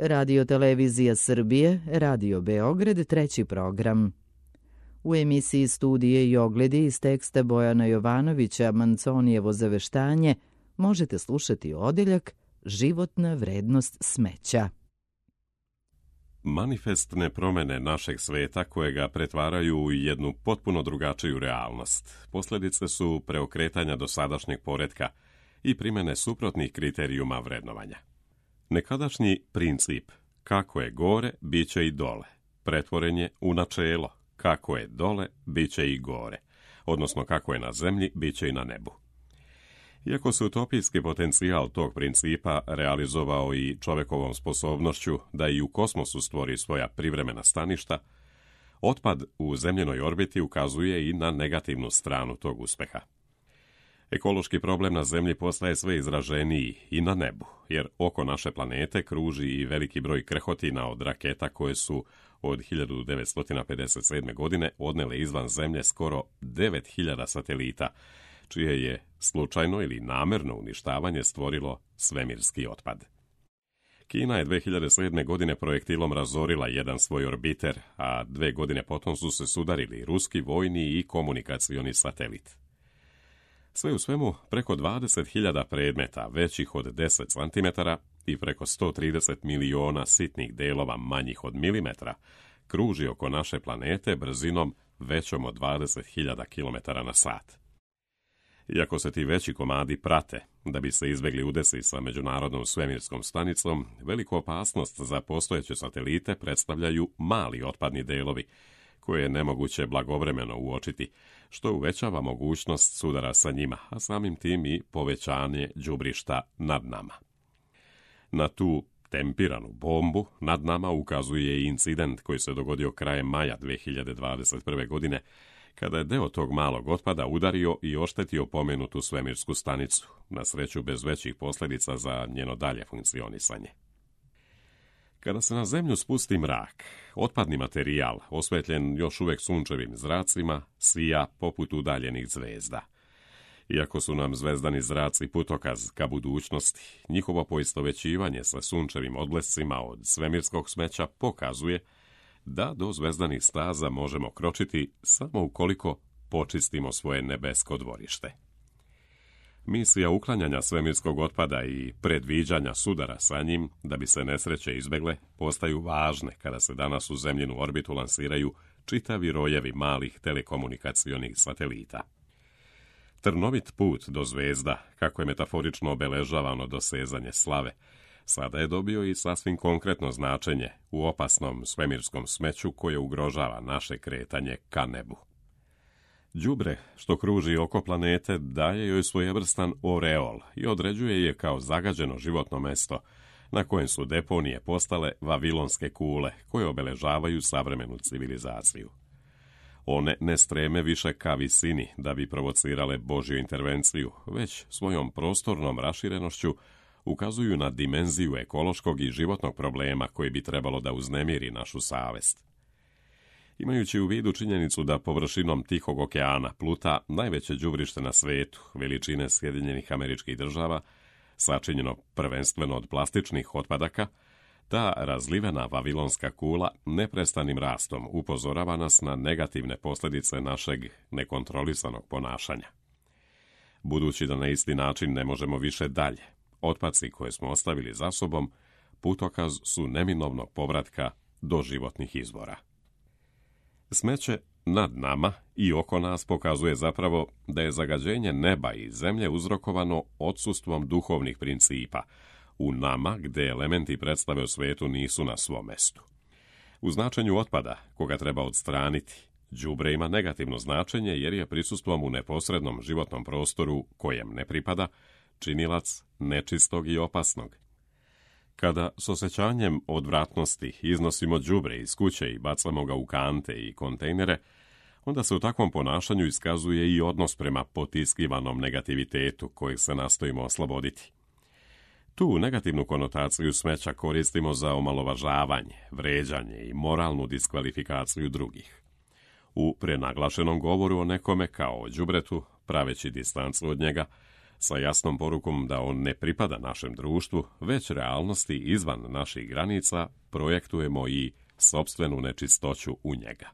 Radio Televizija Srbije, Radio Beograd, treći program. U emisiji Studije i ogledi iz teksta Bojana Jovanovića Manconijevo zaveštanje možete slušati odeljak Životna vrednost smeća. Manifestne promjene našeg sveta koje ga pretvaraju u jednu potpuno drugačiju realnost. Posljedice su preokretanja dosadašnjeg poretka i primjene suprotnih kriterijuma vrednovanja. Nekadašnji princip kako je gore, bit će i dole, pretvoren je u načelo kako je dole, bit će i gore, odnosno kako je na zemlji, bit će i na nebu. Iako se utopijski potencijal tog principa realizovao i čovjekovom sposobnošću da i u kosmosu stvori svoja privremena staništa, otpad u zemljenoj orbiti ukazuje i na negativnu stranu tog uspeha. Ekološki problem na zemlji postaje sve izraženiji i na nebu, jer oko naše planete kruži i veliki broj krhotina od raketa koje su od 1957. godine odnele izvan zemlje skoro 9000 satelita, čije je slučajno ili namerno uništavanje stvorilo svemirski otpad. Kina je 2007. godine projektilom razorila jedan svoj orbiter, a 2 godine potom su se sudarili ruski vojni i komunikacioni satelit. Sve u svemu, preko 20.000 predmeta većih od 10 cm i preko 130 miliona sitnih delova manjih od milimetra kruži oko naše planete brzinom većom od 20.000 km na sat. Iako se ti veći komadi prate, da bi se izbjegli udesi sa međunarodnom svemirskom stanicom, veliku opasnost za postojeće satelite predstavljaju mali otpadni delovi, koje je nemoguće blagovremeno uočiti, što uvećava mogućnost sudara sa njima, a samim tim i povećanje đubrišta nad nama. Na tu tempiranu bombu nad nama ukazuje i incident koji se dogodio krajem maja 2021. godine, kada je deo tog malog otpada udario i oštetio pomenutu svemirsku stanicu, na sreću bez većih posljedica za njeno dalje funkcionisanje. Kada se na zemlju spusti mrak, otpadni materijal, osvetljen još uvijek sunčevim zracima, sija poput udaljenih zvezda. Iako su nam zvezdani zraci putokaz ka budućnosti, njihovo poistovećivanje sa sunčevim odblescima od svemirskog smeća pokazuje da do zvezdanih staza možemo kročiti samo ukoliko počistimo svoje nebesko dvorište. Misija uklanjanja svemirskog otpada i predviđanja sudara sa njim, da bi se nesreće izbjegle, postaju važne kada se danas u zemljinu orbitu lansiraju čitavi rojevi malih telekomunikacionih satelita. Trnovit put do zvezda, kako je metaforično obeležavano dosezanje slave, sada je dobio i sasvim konkretno značenje u opasnom svemirskom smeću koje ugrožava naše kretanje ka nebu. Đubre, što kruži oko planete, daje joj svojevrstan oreol i određuje je kao zagađeno životno mesto, na kojem su deponije postale vavilonske kule koje obeležavaju savremenu civilizaciju. One ne streme više ka visini da bi provocirale Božju intervenciju, već svojom prostornom raširenošću ukazuju na dimenziju ekološkog i životnog problema koji bi trebalo da uznemiri našu savest. Imajući u vidu činjenicu da površinom Tihog okeana pluta najveće đubrište na svetu, veličine Sjedinjenih Američkih Država, sačinjeno prvenstveno od plastičnih otpadaka, ta razlivena vavilonska kula neprestanim rastom upozorava nas na negativne posljedice našeg nekontrolisanog ponašanja. Budući da na isti način ne možemo više dalje, otpaci koje smo ostavili za sobom putokaz su neminovnog povratka do životnih izvora. Smeće nad nama i oko nas pokazuje zapravo da je zagađenje neba i zemlje uzrokovano odsustvom duhovnih principa u nama gde elementi predstave o svetu nisu na svom mestu. U značenju otpada, koga treba odstraniti, đubre ima negativno značenje jer je prisustvom u neposrednom životnom prostoru kojem ne pripada činilac nečistog i opasnog. Kada s osjećanjem odvratnosti iznosimo đubre iz kuće i bacamo ga u kante i kontejnere, onda se u takvom ponašanju iskazuje i odnos prema potiskivanom negativitetu kojeg se nastojimo osloboditi. Tu negativnu konotaciju smeća koristimo za omalovažavanje, vređanje i moralnu diskvalifikaciju drugih. U prenaglašenom govoru o nekome kao o đubretu, praveći distancu od njega, sa jasnom porukom da on ne pripada našem društvu, već realnosti izvan naših granica, projektujemo i sopstvenu nečistoću u njega.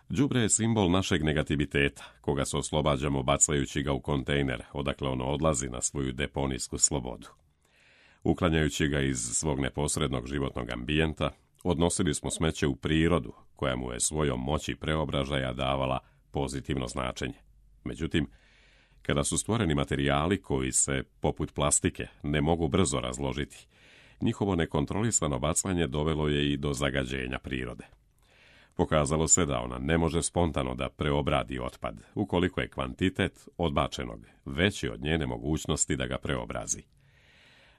Đubre je simbol našeg negativiteta, koga se oslobađamo bacajući ga u kontejner, odakle ono odlazi na svoju deponijsku slobodu. Uklanjajući ga iz svog neposrednog životnog ambijenta, odnosili smo smeće u prirodu, koja mu je svojom moći preobražaja davala pozitivno značenje. Međutim, kada su stvoreni materijali koji se, poput plastike, ne mogu brzo razložiti, njihovo nekontrolisano bacanje dovelo je i do zagađenja prirode. Pokazalo se da ona ne može spontano da preobradi otpad, ukoliko je kvantitet odbačenog veći od njene mogućnosti da ga preobrazi.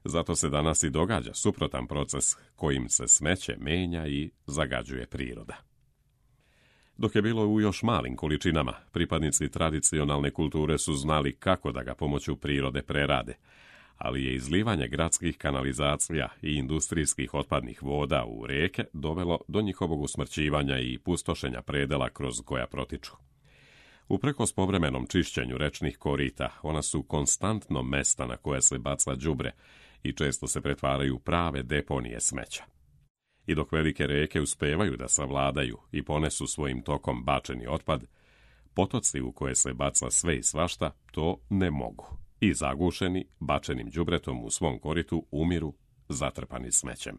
Zato se danas i događa suprotan proces kojim se smeće menja i zagađuje priroda. Dok je bilo u još malim količinama, pripadnici tradicionalne kulture su znali kako da ga pomoću prirode prerade, ali je izlivanje gradskih kanalizacija i industrijskih otpadnih voda u rijeke dovelo do njihovog usmrćivanja i pustošenja predela kroz koja protiču. Uprkos povremenom čišćenju rečnih korita, ona su konstantno mesta na koje se baca đubre i često se pretvaraju u prave deponije smeća. I dok velike rijeke uspevaju da savladaju i ponesu svojim tokom bačeni otpad, potoci u koje se baca sve i svašta to ne mogu i zagušeni, bačenim đubretom u svom koritu umiru zatrpani smećem.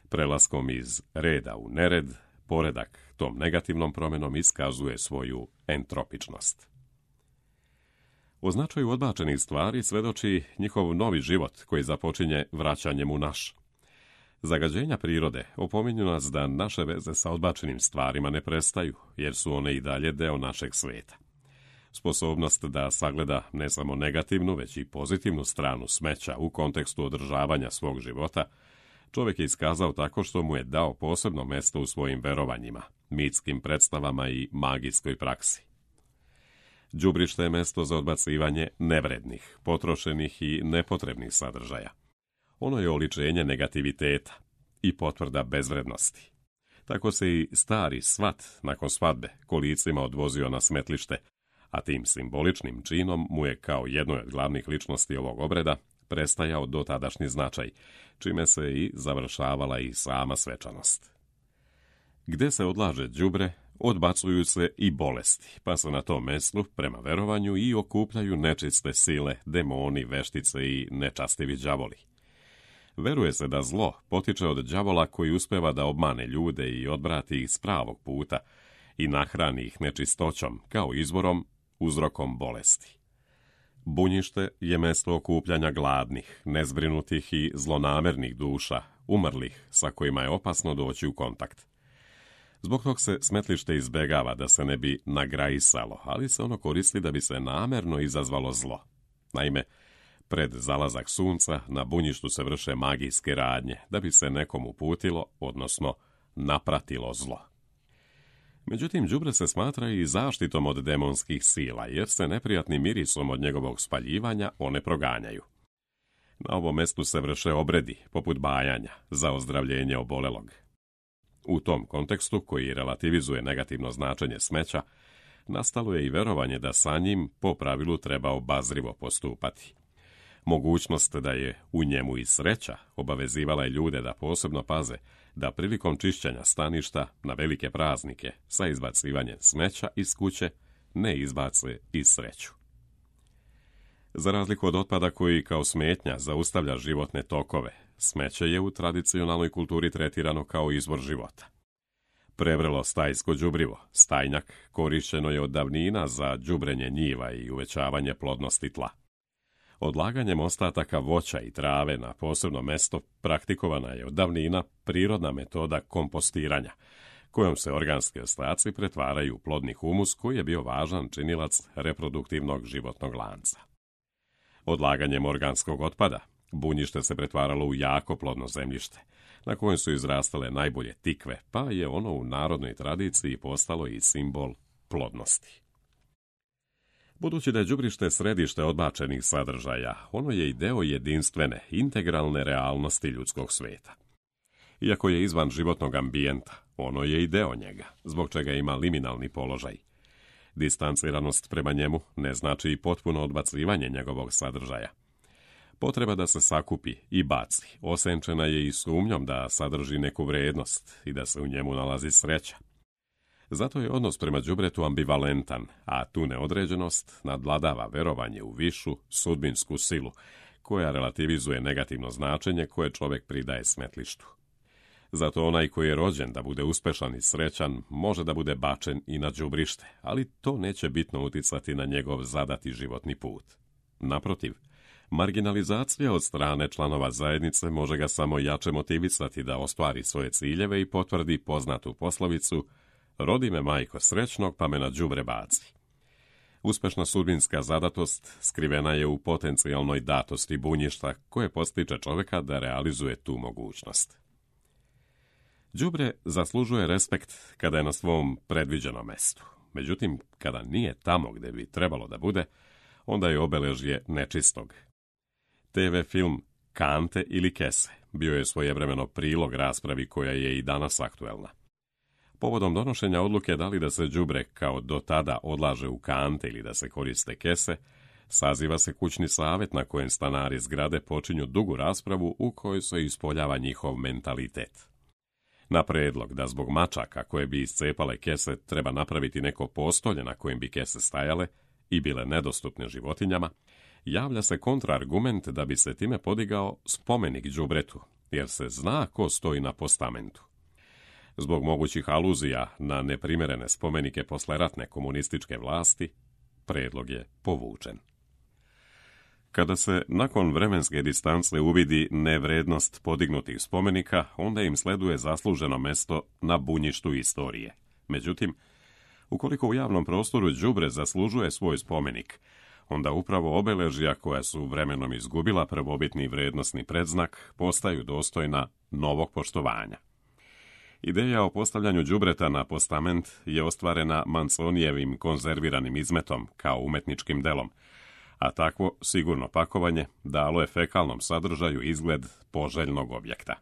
Prelaskom iz reda u nered, poredak tom negativnom promjenom iskazuje svoju entropičnost. O značaju odbačenih stvari svedoči njihov novi život koji započinje vraćanjem u naš. Zagađenja prirode opominju nas da naše veze sa odbačenim stvarima ne prestaju, jer su one i dalje deo našeg sveta. Sposobnost da sagleda ne samo negativnu, već i pozitivnu stranu smeća u kontekstu održavanja svog života, čovjek je iskazao tako što mu je dao posebno mesto u svojim verovanjima, mitskim predstavama i magijskoj praksi. Đubrište je mesto za odbacivanje nevrednih, potrošenih i nepotrebnih sadržaja. Ono je oličenje negativiteta i potvrda bezvrednosti. Tako se i stari svat nakon svadbe kolicima odvozio na smetlište, a tim simboličnim činom mu je kao jednoj od glavnih ličnosti ovog obreda prestajao dotadašnji značaj, čime se i završavala i sama svečanost. Gde se odlaže đubre, odbacuju se i bolesti, pa se na tom mestu, prema verovanju, i okupljaju nečiste sile, demoni, veštice i nečastivi đavoli. Veruje se da zlo potiče od đavola koji uspeva da obmane ljude i odvrati ih s pravog puta i nahrani ih nečistoćom kao izvorom, uzrokom bolesti. Bunjište je mesto okupljanja gladnih, nezbrinutih i zlonamernih duša, umrlih sa kojima je opasno doći u kontakt. Zbog tog se smetlište izbegava da se ne bi nagrajisalo, ali se ono koristi da bi se namerno izazvalo zlo. Naime, pred zalazak sunca na bunjištu se vrše magijske radnje da bi se nekom uputilo, odnosno napratilo zlo. Međutim, đubre se smatra i zaštitom od demonskih sila, jer se neprijatnim mirisom od njegovog spaljivanja one proganjaju. Na ovom mestu se vrše obredi, poput bajanja, za ozdravljenje obolelog. U tom kontekstu, koji relativizuje negativno značenje smeća, nastalo je i verovanje da sa njim po pravilu treba obazrivo postupati. Mogućnost da je u njemu i sreća obavezivala je ljude da posebno paze da prilikom čišćenja staništa na velike praznike sa izbacivanjem smeća iz kuće ne izbace i sreću. Za razliku od otpada koji kao smetnja zaustavlja životne tokove, smeće je u tradicionalnoj kulturi tretirano kao izvor života. Prevrelo stajsko đubrivo, stajnjak, korišćeno je od davnina za đubrenje njiva i uvećavanje plodnosti tla. Odlaganjem ostataka voća i trave na posebno mesto praktikovana je od davnina prirodna metoda kompostiranja, kojom se organski ostaci pretvaraju u plodni humus koji je bio važan činilac reproduktivnog životnog lanca. Odlaganjem organskog otpada, bunjište se pretvaralo u jako plodno zemljište, na kojem su izrastale najbolje tikve, pa je ono u narodnoj tradiciji postalo i simbol plodnosti. Budući da je đubrište središte odbačenih sadržaja, ono je i deo jedinstvene, integralne realnosti ljudskog sveta. Iako je izvan životnog ambijenta, ono je i deo njega, zbog čega ima liminalni položaj. Distanciranost prema njemu ne znači i potpuno odbacivanje njegovog sadržaja. Potreba da se sakupi i baci osenčena je i sumnjom da sadrži neku vrijednost i da se u njemu nalazi sreća. Zato je odnos prema đubretu ambivalentan, a tu neodređenost nadvladava verovanje u višu sudbinsku silu, koja relativizuje negativno značenje koje čovjek pridaje smetlištu. Zato onaj koji je rođen da bude uspešan i srećan može da bude bačen i na đubrište, ali to neće bitno uticati na njegov zadati životni put. Naprotiv, marginalizacija od strane članova zajednice može ga samo jače motivisati da ostvari svoje ciljeve i potvrdi poznatu poslovicu "Rodi me majko srećnog, pa me na đubre baci". Uspešna sudbinska zadatost skrivena je u potencijalnoj datosti bunjišta koje postiče čovjeka da realizuje tu mogućnost. Đubre zaslužuje respekt kada je na svom predviđenom mestu. Međutim, kada nije tamo gde bi trebalo da bude, onda je obeležje nečistog. TV film Kante ili kese bio je svojevremeno prilog raspravi koja je i danas aktuelna. Povodom donošenja odluke da li da se đubre kao do tada odlaže u kante ili da se koriste kese, saziva se kućni savjet na kojem stanari zgrade počinju dugu raspravu u kojoj se ispoljava njihov mentalitet. Na predlog da zbog mačaka koje bi iscepale kese treba napraviti neko postolje na kojem bi kese stajale i bile nedostupne životinjama, javlja se kontraargument da bi se time podigao spomenik đubretu, jer se zna ko stoji na postamentu. Zbog mogućih aluzija na neprimjerene spomenike posleratne komunističke vlasti, predlog je povučen. Kada se nakon vremenske distance uvidi nevrednost podignutih spomenika, onda im sleduje zasluženo mesto na bunjištu istorije. Međutim, ukoliko u javnom prostoru đubre zaslužuje svoj spomenik, onda upravo obeležja koja su vremenom izgubila prvobitni vrednosni predznak postaju dostojna novog poštovanja. Ideja o postavljanju đubreta na postament je ostvarena Manzonijevim konzerviranim izmetom kao umetničkim delom, a takvo sigurno pakovanje dalo je fekalnom sadržaju izgled poželjnog objekta.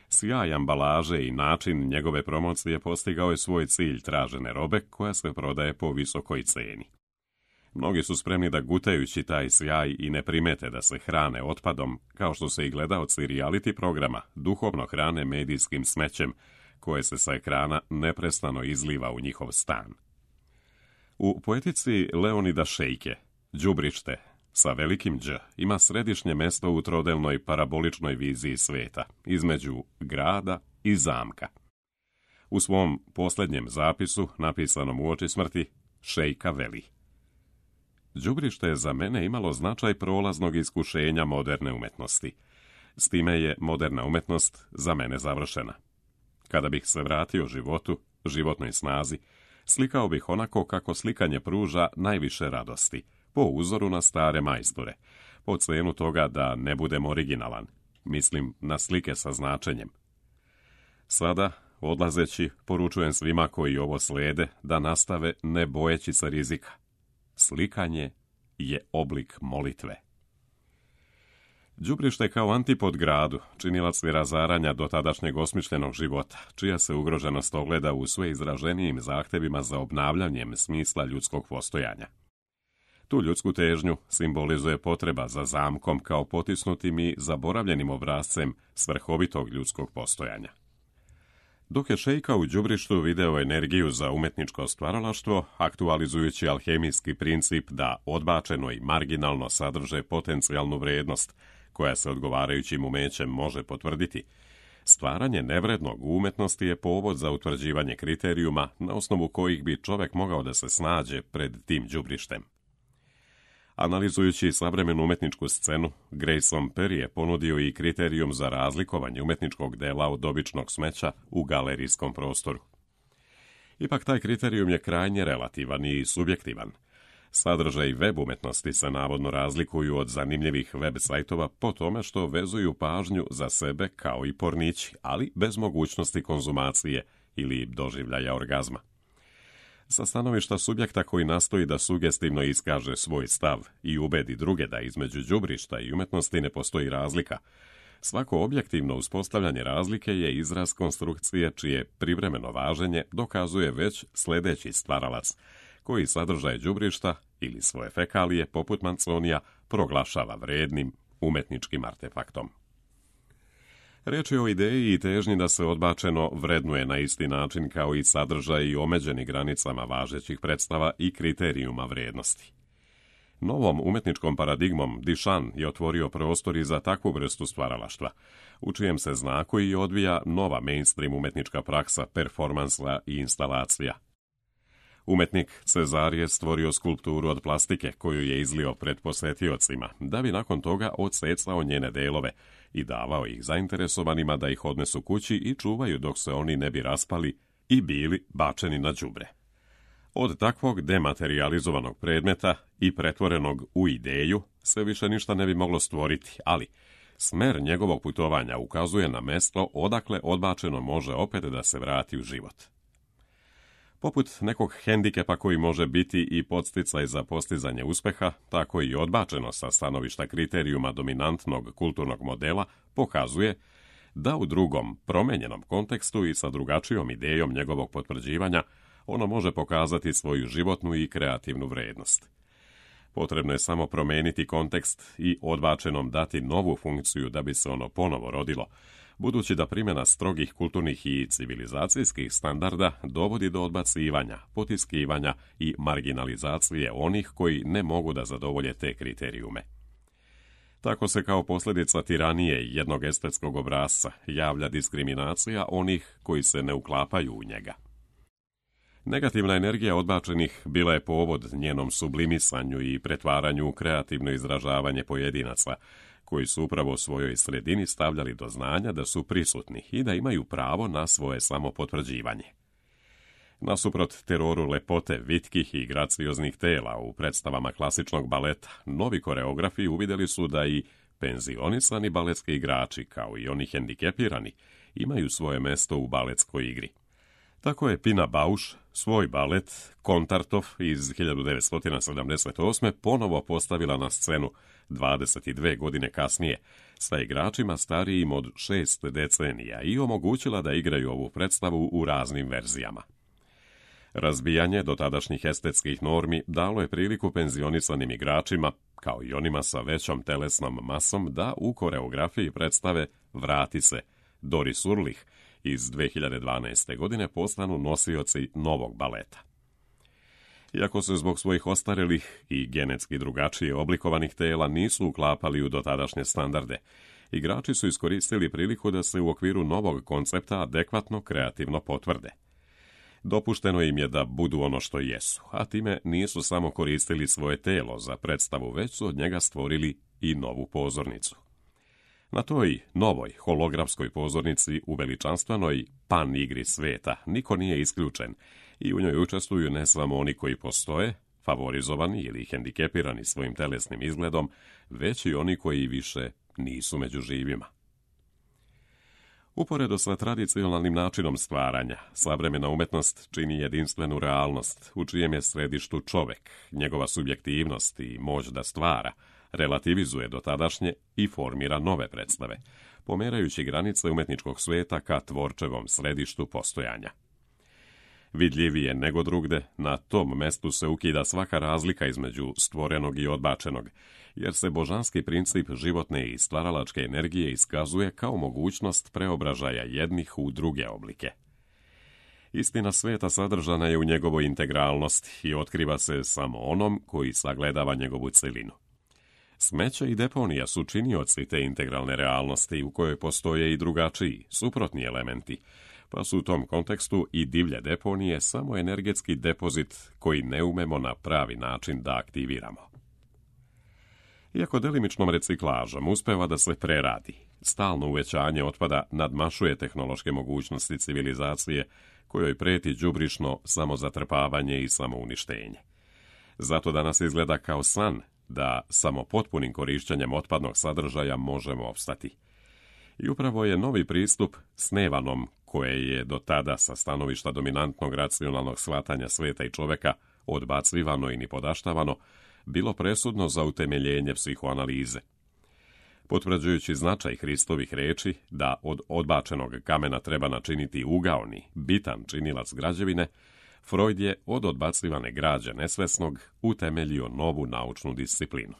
Sjaj ambalaže i način njegove promocije postigao je svoj cilj tražene robe koja se prodaje po visokoj ceni. Mnogi su spremni da gutajući taj sjaj i ne primete da se hrane otpadom, kao što se i gledaoci reality programa duhovno hrane medijskim smećem koje se sa ekrana neprestano izliva u njihov stan. U poetici Leonida Šejke đubrište sa velikim Đ ima središnje mesto u trodelnoj paraboličnoj viziji sveta, između grada i zamka. U svom posljednjem zapisu, napisanom uoči smrti, Šejka veli: "Đubrište je za mene imalo značaj prolaznog iskušenja moderne umetnosti. S time je moderna umetnost za mene završena. Kada bih se vratio životu, životnoj snazi, slikao bih onako kako slikanje pruža najviše radosti, po uzoru na stare majstore, po cenu toga da ne budem originalan, mislim na slike sa značenjem. Sada, odlazeći, poručujem svima koji ovo slede da nastave ne bojeći se rizika. Slikanje je oblik molitve." Đubrište kao antipod gradu, činilac je razaranja dotadašnjeg osmišljenog života, čija se ugroženost ogleda u sve izraženijim zahtevima za obnavljanjem smisla ljudskog postojanja. Tu ljudsku težnju simbolizuje potreba za zamkom kao potisnutim i zaboravljenim obrazcem svrhovitog ljudskog postojanja. Dok je Šejka u đubrištu video energiju za umetničko stvaralaštvo, aktualizujući alhemijski princip da odbačeno i marginalno sadrže potencijalnu vrijednost, koja se odgovarajućim umećem može potvrditi, stvaranje nevrednog u umetnosti je povod za utvrđivanje kriterijuma na osnovu kojih bi čovjek mogao da se snađe pred tim đubrištem. Analizujući savremenu umetničku scenu, Grayson Perry je ponudio i kriterijum za razlikovanje umetničkog dela od običnog smeća u galerijskom prostoru. Ipak taj kriterijum je krajnje relativan i subjektivan. Sadržaj web umetnosti se navodno razlikuju od zanimljivih web sajtova po tome što vezuju pažnju za sebe kao i pornići, ali bez mogućnosti konzumacije ili doživljaja orgazma. Sa stanovišta subjekta koji nastoji da sugestivno iskaže svoj stav i ubedi druge da između đubrišta i umetnosti ne postoji razlika, svako objektivno uspostavljanje razlike je izraz konstrukcije čije privremeno važenje dokazuje već sljedeći stvaralac, koji sadržaje đubrišta ili svoje fekalije, poput Manconija, proglašava vrednim umetničkim artefaktom. Reč je o ideji i težnji da se odbačeno vrednuje na isti način kao i sadržaj i omeđeni granicama važećih predstava i kriterijuma vrednosti. Novom umetničkom paradigmom Duchamp je otvorio prostor i za takvu vrstu stvaralaštva, u čijem se znaku i odvija nova mainstream umetnička praksa, performansa i instalacija. Umetnik Cezar je stvorio skulpturu od plastike koju je izlio pred posetiocima, da bi nakon toga odsecao njene delove i davao ih zainteresovanima da ih odnesu kući i čuvaju dok se oni ne bi raspali i bili bačeni na đubre. Od takvog dematerializovanog predmeta i pretvorenog u ideju se više ništa ne bi moglo stvoriti, ali smer njegovog putovanja ukazuje na mesto odakle odbačeno može opet da se vrati u život. Poput nekog hendikepa koji može biti i podsticaj za postizanje uspeha, tako i odbačeno sa stanovišta kriterijuma dominantnog kulturnog modela pokazuje da u drugom, promenjenom kontekstu i sa drugačijom idejom njegovog potvrđivanja ono može pokazati svoju životnu i kreativnu vrednost. Potrebno je samo promeniti kontekst i odbačenom dati novu funkciju da bi se ono ponovo rodilo, budući da primjena strogih kulturnih i civilizacijskih standarda dovodi do odbacivanja, potiskivanja i marginalizacije onih koji ne mogu da zadovolje te kriterijume. Tako se kao posljedica tiranije jednog estetskog obrasca javlja diskriminacija onih koji se ne uklapaju u njega. Negativna energija odbačenih bila je povod njenom sublimisanju i pretvaranju u kreativno izražavanje pojedinaca, koji su upravo u svojoj sredini stavljali do znanja da su prisutni i da imaju pravo na svoje samopotvrđivanje. Nasuprot teroru lepote, vitkih i gracioznih tela u predstavama klasičnog baleta, novi koreografi uvidjeli su da i penzionisani baletski igrači, kao i oni hendikepirani, imaju svoje mesto u baletskoj igri. Tako je Pina Bausch svoj balet Kontartov iz 1978. ponovo postavila na scenu 22 godine kasnije, sa igračima starijim od 6 decenija i omogućila da igraju ovu predstavu u raznim verzijama. Razbijanje dotadašnjih estetskih normi dalo je priliku penzionisanim igračima, kao i onima sa većom telesnom masom, da u koreografiji predstave Vrati se, Doris Urlich iz 2012. godine postanu nosioci novog baleta. Iako se zbog svojih ostarelih i genetski drugačije oblikovanih tela nisu uklapali u dotadašnje standarde, igrači su iskoristili priliku da se u okviru novog koncepta adekvatno kreativno potvrde. Dopušteno im je da budu ono što jesu, a time nisu samo koristili svoje telo za predstavu, već su od njega stvorili i novu pozornicu. Na toj novoj holografskoj pozornici u veličanstvenoj pan igri sveta niko nije isključen i u njoj učestvuju ne samo oni koji postoje, favorizovani ili hendikepirani svojim telesnim izgledom, već i oni koji više nisu među živima. Uporedo sa tradicionalnim načinom stvaranja, savremena umetnost čini jedinstvenu realnost, u čijem je središtu čovek, njegova subjektivnost i moć da stvara, relativizuje dotadašnje i formira nove predstave, pomerajući granice umetničkog sveta ka tvorčevom središtu postojanja. Vidljivije nego drugde, na tom mestu se ukida svaka razlika između stvorenog i odbačenog, jer se božanski princip životne i stvaralačke energije iskazuje kao mogućnost preobražaja jednih u druge oblike. Istina sveta sadržana je u njegovoj integralnosti i otkriva se samo onom koji sagledava njegovu celinu. Smeće i deponija su činioci te integralne realnosti u kojoj postoje i drugačiji, suprotni elementi, pa su u tom kontekstu i divlje deponije samo energetski depozit koji ne umemo na pravi način da aktiviramo. Iako delimičnom reciklažom uspeva da se preradi, stalno uvećanje otpada nadmašuje tehnološke mogućnosti civilizacije kojoj preti đubrišno samozatrpavanje i samouništenje. Zato danas izgleda kao san da samo potpunim korišćenjem otpadnog sadržaja možemo opstati. I upravo je novi pristup snevanom, koje je do tada sa stanovišta dominantnog racionalnog shvatanja sveta i čoveka odbacivano i nipodaštavano, bilo presudno za utemeljenje psihoanalize. Potvrđujući značaj Hristovih reči da od odbačenog kamena treba načiniti ugaoni, bitan činilac građevine, Freud je od odbacivane građe nesvesnog utemeljio novu naučnu disciplinu.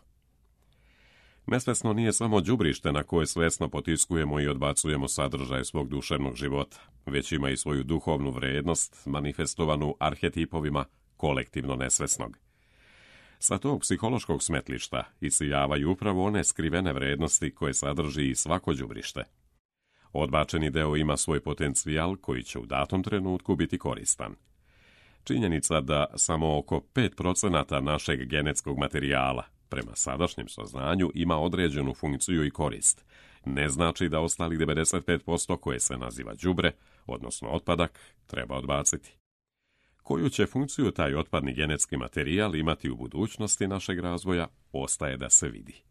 Nesvesno nije samo đubrište na koje svesno potiskujemo i odbacujemo sadržaj svog duševnog života, već ima i svoju duhovnu vrednost manifestovanu arhetipovima kolektivno nesvesnog. Sa tog psihološkog smetlišta isijavaju upravo one skrivene vrednosti koje sadrži i svako đubrište. Odbačeni deo ima svoj potencijal koji će u datom trenutku biti koristan. Činjenica da samo oko 5% našeg genetskog materijala, prema sadašnjem saznanju, ima određenu funkciju i korist, ne znači da ostalih 95% koje se naziva đubre, odnosno otpadak, treba odbaciti. Koju će funkciju taj otpadni genetski materijal imati u budućnosti našeg razvoja, ostaje da se vidi.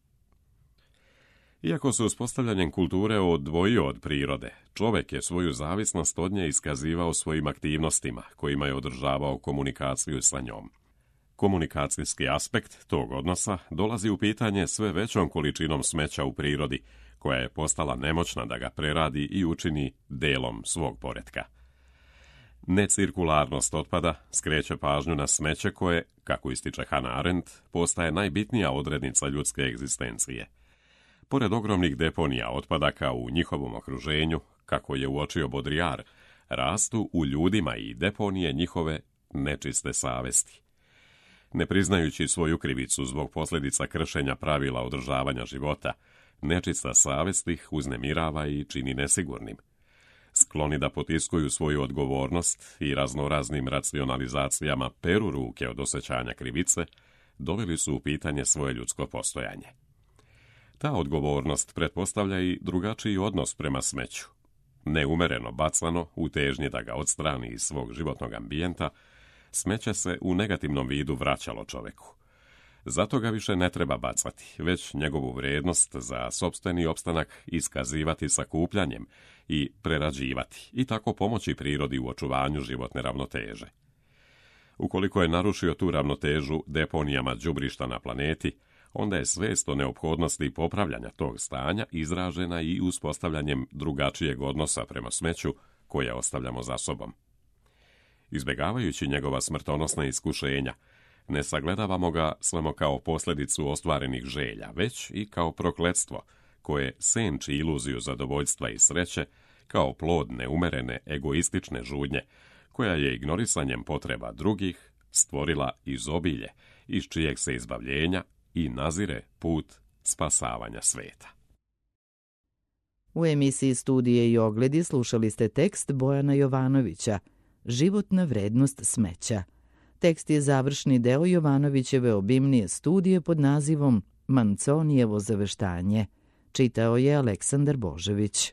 Iako se uspostavljanjem kulture odvojio od prirode, čovjek je svoju zavisnost od nje iskazivao svojim aktivnostima, kojima je održavao komunikaciju sa njom. Komunikacijski aspekt tog odnosa dolazi u pitanje sve većom količinom smeća u prirodi, koja je postala nemoćna da ga preradi i učini delom svog poretka. Necirkularnost otpada skreće pažnju na smeće koje, kako ističe Hannah Arendt, postaje najbitnija odrednica ljudske egzistencije. Pored ogromnih deponija otpadaka u njihovom okruženju, kako je uočio Baudrillard, rastu u ljudima i deponije njihove nečiste savesti. Ne priznajući svoju krivicu zbog posljedica kršenja pravila održavanja života, nečista savest ih uznemirava i čini nesigurnim. Skloni da potiskuju svoju odgovornost i raznoraznim racionalizacijama peru ruke od osjećanja krivice, doveli su u pitanje svoje ljudsko postojanje. Ta odgovornost pretpostavlja i drugačiji odnos prema smeću. Neumereno bacano, u težnji da ga odstrani iz svog životnog ambijenta, smeće se u negativnom vidu vraćalo čoveku. Zato ga više ne treba bacati, već njegovu vrijednost za sopstveni opstanak iskazivati sakupljanjem i prerađivati i tako pomoći prirodi u očuvanju životne ravnoteže. Ukoliko je narušio tu ravnotežu deponijama đubrišta na planeti, onda je svest o neophodnosti popravljanja tog stanja izražena i uspostavljanjem drugačijeg odnosa prema smeću koje ostavljamo za sobom. Izbjegavajući njegova smrtonosna iskušenja, ne sagledavamo ga samo kao posljedicu ostvarenih želja, već i kao prokletstvo koje senči iluziju zadovoljstva i sreće, kao plod neumerene egoistične žudnje, koja je ignorisanjem potreba drugih stvorila izobilje, iz čijeg se izbavljenja i nazire put spasavanja sveta. U emisiji Studije i ogledi slušali ste tekst Bojana Jovanovića Životna vrednost smeća. Tekst je završni deo Jovanovićeve obimnije studije pod nazivom Manzonijevo zaveštanje. Čitao je Aleksandar Božević.